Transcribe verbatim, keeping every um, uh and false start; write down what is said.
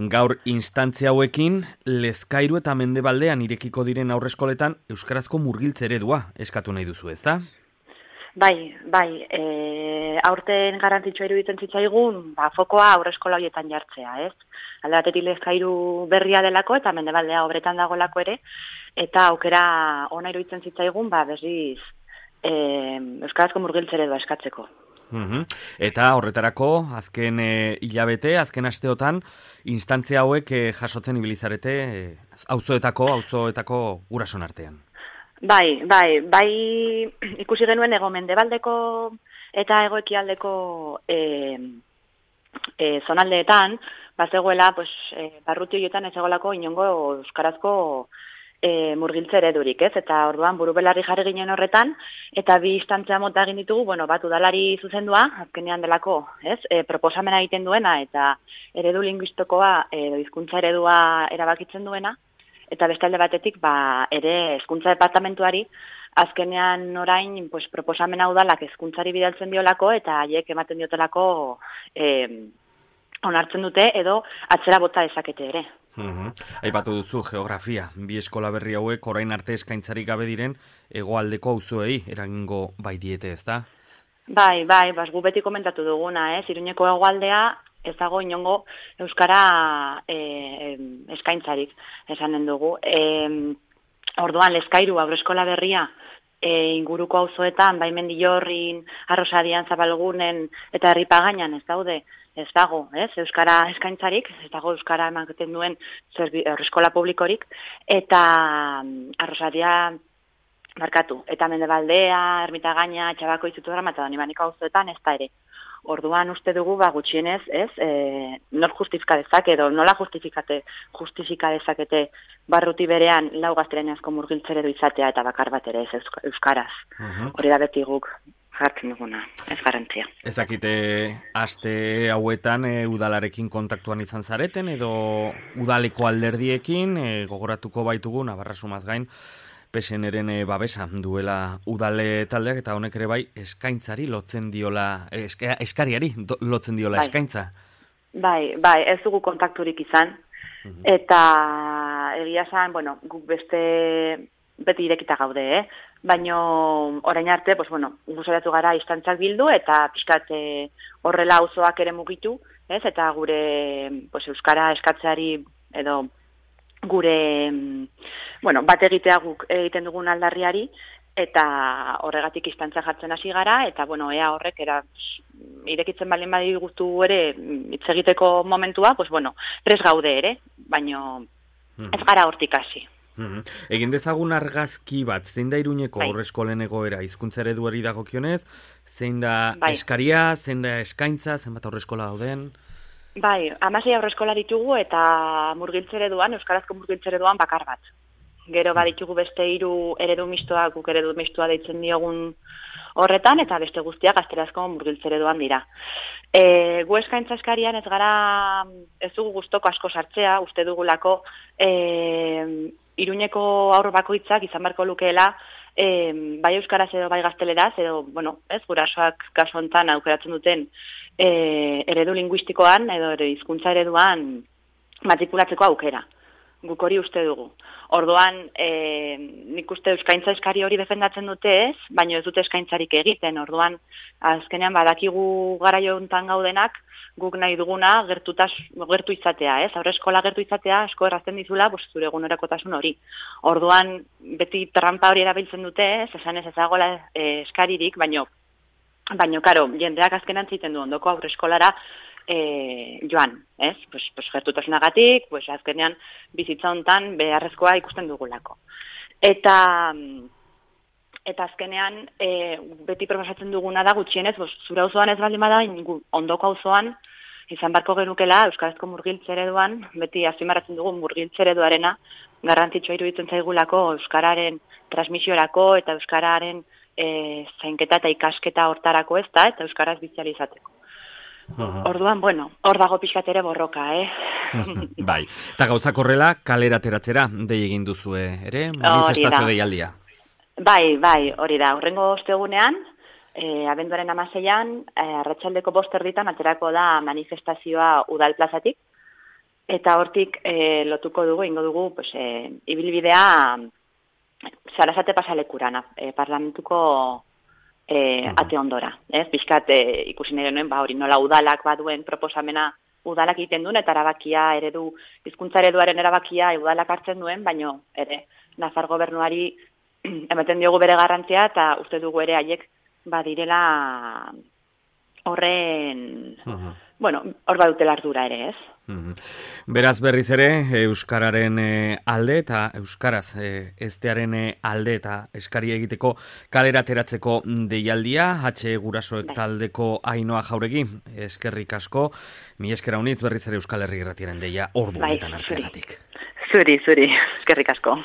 Gaur instantzia hauekin, Lezkairu eta Mendebaldean irekiko diren aurreskoletan euskarazko murgiltze eredua eskatu nahi duzu, ezta? Bai, bai, e, aurten garrantzitsua iruditzen zitzaigun, ba, fokoa aurreskola horietan jartzea, ez? Alde batetik Lezkairu berria delako eta Mendebaldea obretan dagoelako ere, eta aukera ona iruditzen zitzaigun, ba, berriz e, euskarazko murgiltze eredua eskatzeko. Uhum. Eta horretarako, azken e, hilabete, azken asteotan, instantzia hauek e, jasotzen ibilizarete e, auzoetako, auzoetako gurason artean. Bai, bai, bai ikusi genuen ego Mendebaldeko eta ego ekialdeko e, e, zonaldeetan, bazegoela, pues, e, barruti horietan ez egolako inongo euskarazko E, murgiltze eredurik, ez? Eta orduan buru belarri jarri ginen horretan, eta bi instantzia mota egin ditugu, bueno, bat udalari zuzendua, azkenean delako, ez? E, proposamena egiten duena, eta eredu linguistikoa, edo hizkuntza eredua erabakitzen duena, eta beste alde batetik, ba, ere hezkuntza departamentuari, azkenean orain, pues, proposamena udalak hezkuntzari bidaltzen diolako, eta haiek ematen diotelako e, onartzen dute, edo atzera bota dezakete ere. Uhum. Aipatu duzu geografia, bi eskola berri hauek orain arte eskaintzarik gabe diren hegoaldeko auzoei eragingo bai diete, ezta? Bai, bai, bas gu beti komentatu duguna, ez? Iruñeko hegoaldea ez dago inongo euskara e, eskaintzarik esanen dugu. E, orduan Lezkairu aurreskola berria e, inguruko auzoetan, bai Mendillorrin, Arrosadian, Zabalgunen eta Herripagainan ez daude. Ez dago, ez, euskara eskaintzarik, ez dago euskara ematen duen aurreskola publikorik, eta Arrosaria markatu, eta Mendebaldea, Ermitagaina, Txabako izutura, eta Donibaniko auzoetan ez da ere. Orduan uste dugu, ba, gutxienez, ez, e, nor justifika dezake, edo nola justifikate, justifika dezakete barruti berean lau gaztelaniazko murgiltze eredu izatea eta bakar bat ere ez euskaraz. Uh-huh. Hori da beti guk jartzen duguna, ez garantzia. Ez dakite, aste hauetan e, udalarekin kontaktuan izan zareten, edo udaleko alderdiekin, e, gogoratuko baitugu, Navarra Sumaz gain, P S N-ren e, babesa duela udale taldeak, eta honek ere bai eskaintzari lotzen diola, eska, eskariari do, lotzen diola bai. Eskaintza. Bai, bai, ez dugu kontakturik izan, uh-huh. Eta egia esan, bueno, guk beste beti irekita gaude, eh? Baina orain arte, pues, bueno, guzoratu gara instantzak bildu eta pixkat horrela auzoak ere mugitu, ez? Eta gure pues, euskara eskatzeari edo gure bueno, bat egitea guk egiten dugun aldarriari eta horregatik instantzak jartzen hasi gara eta bueno, ea horrek era irekitzen balin badi guztu ere hitz egiteko momentua, pues bueno, prest gaude ere, baina ez gara hortik hasi. Mm-hmm. Egin dezagun argazki bat, zein da Iruñeko bai. Aurreskolen egoera, hizkuntza ereduari dagokionez, zein da bai. Eskaria, zein da eskaintza, zenbat aurreskola dauden? Bai, hamasei aurreskola ditugu eta murgiltze ereduan, euskarazko murgiltze ereduan bakar bat. Gero baditugu beste hiru eredu mistoak, guk eredu mistoa deitzen diogun horretan, eta beste guztiak gaztelazko murgiltze ereduan dira. E, gu eskaintza eskarian ez gara, ez dugu gustoko asko sartzea, uste dugulako, e, Iruñeko aurro bakoitzak izan beharko lukeela e, bai euskaraz edo bai gazteleraz edo, bueno, ez, gurasoak kasu hontan aukeratzen duten e, eredu linguistikoan edo hizkuntza ereduan matrikulatzeko aukera. Guk hori uste dugu. Orduan, e, nik uste eskaintza eskari hori defendatzen dute ez, baina ez dute eskaintzarik egiten. Orduan, azkenean badakigu garaio hontan gaudenak, guk nahi duguna gertutaz, gertu izatea, ez? Aurreskola gertu izatea asko errazten dizula, pues, zure egunerokotasun hori. Orduan, beti trampa hori erabiltzen dute, ez? Esan ez ezagola e, eskaririk, baino, baino, karo, jendeak azkenan ziten du ondoko aurreskolara e, joan, ez? Pues, pues, gertutasunagatik, pues, azkenean bizitza hontan beharrezkoa ikusten dugulako. Eta... Eta azkenean, e, beti proposatzen duguna da gutxienez, bos, zure auzoan ez baldin bada, ondoko auzoan, izan barko genukela, euskarazko murgiltze ereduan, beti azpimarratzen dugu murgiltze ereduarena, garrantzitsua iruditzen zaigulako euskararen transmisiorako eta euskararen e, zainketa eta ikasketa hortarako ez da, eta euskaraz bizializateko. Uh-huh. Orduan, bueno, hor dago pixkat ere borroka, eh? Bai, eta gauzak horrela kalera ateratzera dei egin duzue, ere? Manifestazio deialdia. Bai, bai, hori da. Hurrengo ostegunean, e, abenduaren hamaseian, e, arratsaldeko bost erditan aterako da manifestazioa udal plazatik, eta hortik e, lotuko dugu, ingo dugu, pues, e, ibilbidea Sarasate pasalekuran, e, parlamentuko e, ate ondora. Ez, bizkat e, ikusi nire nuen, ba, hori nola udalak baduen proposamena udalak egiten duen, eta erabakia eredu, hizkuntza ereduaren erabakia udalak hartzen duen, baino ere, Nafar gobernuari ematen diogu bere garrantzia, eta uste dugu ere haiek badirela horren, uh-huh. bueno, hor badutela ardura ere, ez? Uh-huh. Beraz berriz ere, Euskararen alde eta Euskaraz eztearen alde eta eskari egiteko kalera ateratzeko deialdia, H Gurasoek taldeko Ainhoa Jauregi, eskerrik asko, mi eskera unitz berriz ere Euskal Herri Irratiaren deia ordu honetan hartzeagatik. Zuri, zuri, eskerrik asko.